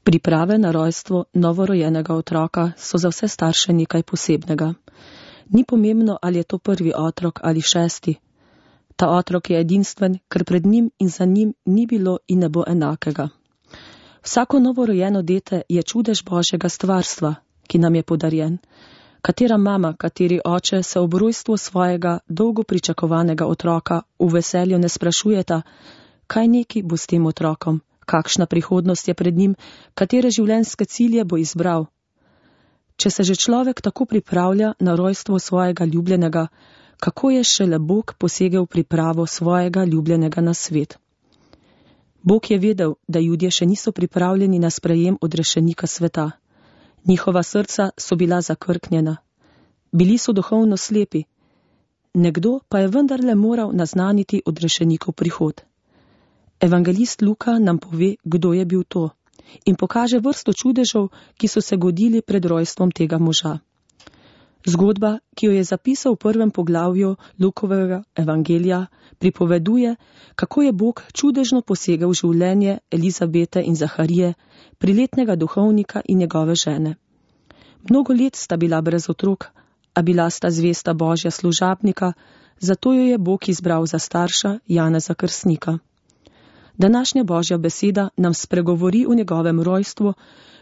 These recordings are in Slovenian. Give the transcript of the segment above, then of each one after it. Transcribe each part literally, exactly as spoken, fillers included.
Priprave na rojstvo novorojenega otroka so za vse starše nekaj posebnega. Ni pomembno, ali je to prvi otrok ali šesti. Ta otrok je edinstven, ker pred njim in za njim ni bilo in ne bo enakega. Vsako novorojeno dete je čudež Božjega stvarstva, ki nam je podarjen. Katera mama, kateri oče se ob rojstvu svojega dolgo pričakovanega otroka v veselju ne sprašujeta, kaj neki bo s tem otrokom, kakšna prihodnost je pred njim, katere življenjske cilje bo izbral. Če se že človek tako pripravlja na rojstvo svojega ljubljenega, kako je šele Bog posegel pripravo svojega ljubljenega na svet. Bog je vedel, da Judje še niso pripravljeni na sprejem odrešenika sveta. Njihova srca so bila zakrknjena. Bili so duhovno slepi. Nekdo pa je vendarle moral naznaniti odrešenikov prihod. Evangelist Luka nam pove, kdo je bil to, in pokaže vrsto čudežev, ki so se godili pred rojstvom tega moža. Zgodba, ki jo je zapisal v prvem poglavju Lukovega evangelija, pripoveduje, kako je Bog čudežno posegel v življenje Elizabete in Zaharije, priletnega duhovnika in njegove žene. Mnogo let sta bila brez otrok, a bila sta zvesta Božja služabnika, zato jo je Bog izbral za starša Janeza Krstnika. Današnja Božja beseda nam spregovori o njegovem rojstvu,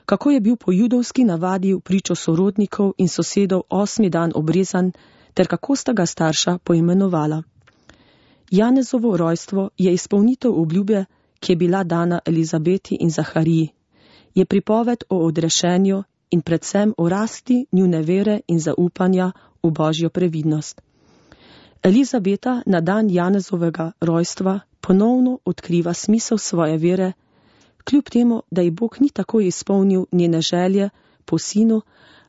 kako je bil po judovski navadi v pričo sorodnikov in sosedov osmi dan obrezan, ter kako sta ga starša poimenovala. Janezovo rojstvo je izpolnitev obljube, ki je bila dana Elizabeti in Zahariji. Je pripoved o odrešenju in predvsem o rasti njune vere in zaupanja v Božjo previdnost. Elizabeta na dan Janezovega rojstva ponovno odkriva smisel svoje vere, kljub temu, da ji Bog ni tako izpolnil njene želje po sinu,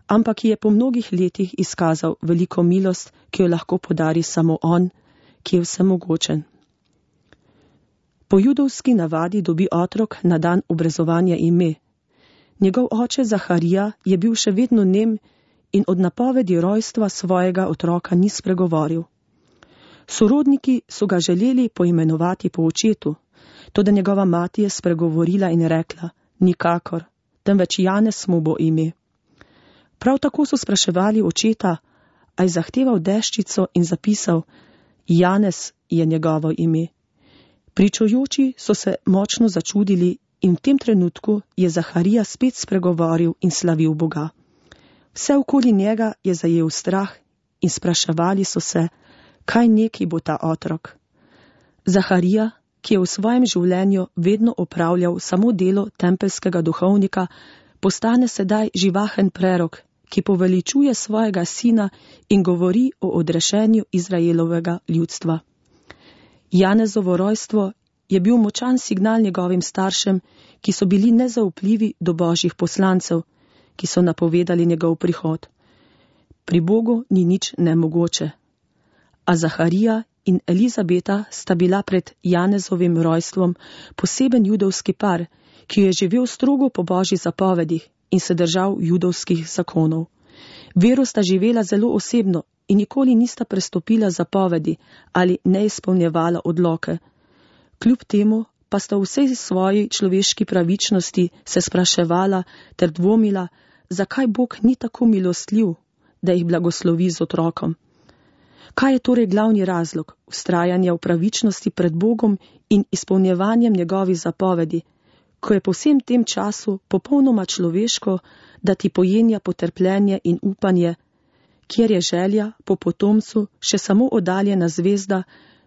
ampak ji je po mnogih letih izkazal veliko milost, ki jo lahko podari samo on, ki je vsemogočen. Po judovski navadi dobi otrok na dan obrezovanja ime. Njegov oče Zaharija je bil še vedno nem in od napovedi rojstva svojega otroka ni spregovoril. Sorodniki so ga želeli poimenovati po očetu, toda njegova mati je spregovorila in rekla, nikakor, temveč Janez mu bo ime. Prav tako so spraševali očeta, a je zahteval deščico in zapisal, Janez je njegovo ime. Pričujoči so se močno začudili in v tem trenutku je Zaharija spet spregovoril in slavil Boga. Vse okoli njega je zajel strah in spraševali so se, kaj neki bo ta otrok. Zaharija, ki je v svojem življenju vedno opravljal samo delo tempelskega duhovnika, postane sedaj živahen prerok, ki poveličuje svojega sina in govori o odrešenju Izraelovega ljudstva. Janezovo rojstvo je bil močan signal njegovim staršem, ki so bili nezaupljivi do Božjih poslancev, ki so napovedali njegov prihod. Pri Bogu ni nič nemogoče. A Zaharija in Elizabeta sta bila pred Janezovim rojstvom poseben judovski par, ki je živel strogo po Božji zapovedih in se držal judovskih zakonov. Vero sta živela zelo osebno in nikoli nista prestopila zapovedi ali ne izpolnjevala odloke. Kljub temu pa sta v vsej svoji človeški pravičnosti se spraševala ter dvomila, zakaj Bog ni tako milostljiv, da jih blagoslovi z otrokom. Kaj je torej glavni razlog vztrajanja v pravičnosti pred Bogom in izpolnjevanjem njegovih zapovedi, ko je po vsem tem času popolnoma človeško, da ti pojenja potrpljenje in upanje, kjer je želja po potomcu še samo oddaljena zvezda,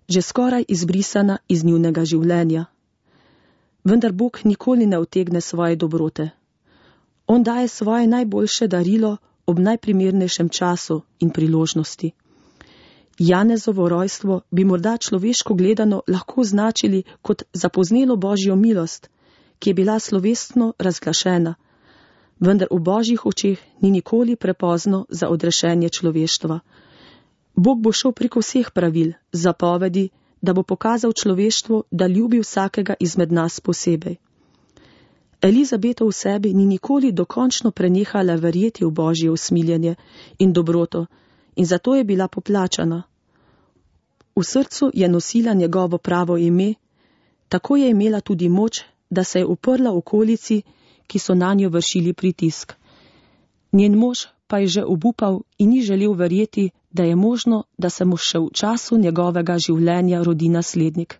že skoraj izbrisana iz njunega življenja. Vendar Bog nikoli ne utegne svoje dobrote. On daje svoje najboljše darilo ob najprimernejšem času in priložnosti. Janezovo rojstvo bi morda človeško gledano lahko označili kot zapoznelo Božjo milost, ki je bila slovesno razglašena, vendar v Božjih očeh ni nikoli prepozno za odrešenje človeštva. Bog bo šel preko vseh pravil, zapovedi, da bo pokazal človeštvu, da ljubi vsakega izmed nas posebej. Elizabeta v sebi ni nikoli dokončno prenehala verjeti v Božje usmiljenje in dobroto, in zato je bila poplačana. V srcu je nosila njegovo pravo ime, tako je imela tudi moč, da se je uprla okolici, ki so na njo vršili pritisk. Njen mož pa je že obupal in ni želel verjeti, da je možno, da se mu še v času njegovega življenja rodi naslednik.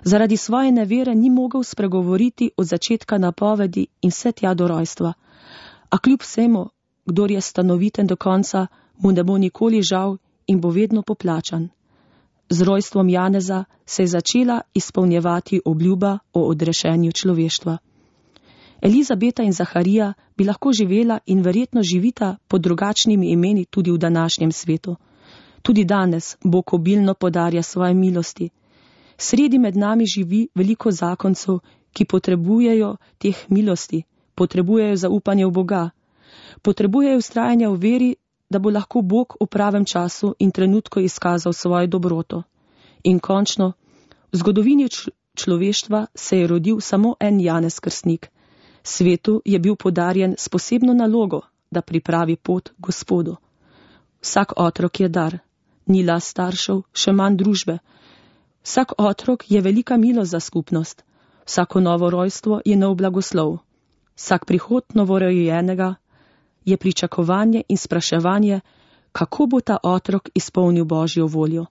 Zaradi svoje nevere ni mogel spregovoriti od začetka napovedi in vse tja do rojstva, a kljub vsemu, kdor je stanoviten do konca, mu ne bo nikoli žal in bo vedno poplačan. Z rojstvom Janeza se je začela izpolnjevati obljuba o odrešenju človeštva. Elizabeta in Zaharija bi lahko živela in verjetno živita pod drugačnimi imeni tudi v današnjem svetu. Tudi danes Bog obilno podarja svoje milosti. Sredi med nami živi veliko zakoncev, ki potrebujejo teh milosti, potrebujejo zaupanje v Boga, potrebujejo vztrajanje v veri, da bo lahko Bog v pravem času in trenutku izkazal svojo dobroto. In končno, v zgodovini človeštva se je rodil samo en Janez Krstnik. Svetu je bil podarjen s posebno nalogo, da pripravi pot Gospodu. Vsak otrok je dar, ni last staršev, še manj družbe. Vsak otrok je velika milost za skupnost, vsako novo rojstvo je nov blagoslov. Vsak prihod novorojenega je pričakovanje in spraševanje, kako bo ta otrok izpolnil Božjo voljo.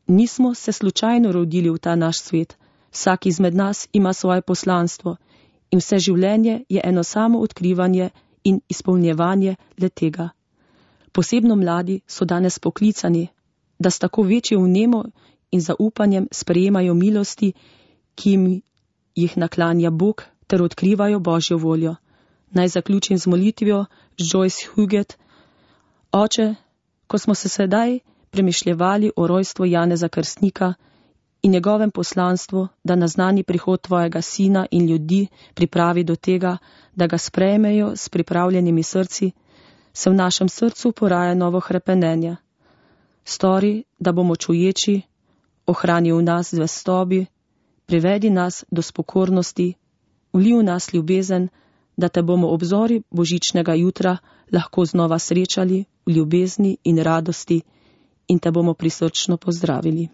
Nismo se slučajno rodili v ta naš svet, vsak izmed nas ima svoje poslanstvo in vse življenje je eno samo odkrivanje in izpolnjevanje le tega. Posebno mladi so danes poklicani, da s tako večjo vnemo in zaupanjem sprejemajo milosti, ki jim jih naklanja Bog, ter odkrivajo Božjo voljo. Naj zaključim z molitvijo z Joyce Huget. Oče, ko smo se sedaj premišljevali o rojstvu Janeza Krstnika in njegovem poslanstvu, da naznani prihod tvojega sina in ljudi pripravi do tega, da ga sprejmejo s pripravljenimi srci, se v našem srcu poraja novo hrepenenje. Stori, da bomo čuječi, ohrani v nas zvestobi, privedi nas do spokornosti, vli v nas ljubezen, da te bomo ob zori božičnega jutra lahko znova srečali v ljubezni in radosti in te bomo prisrčno pozdravili.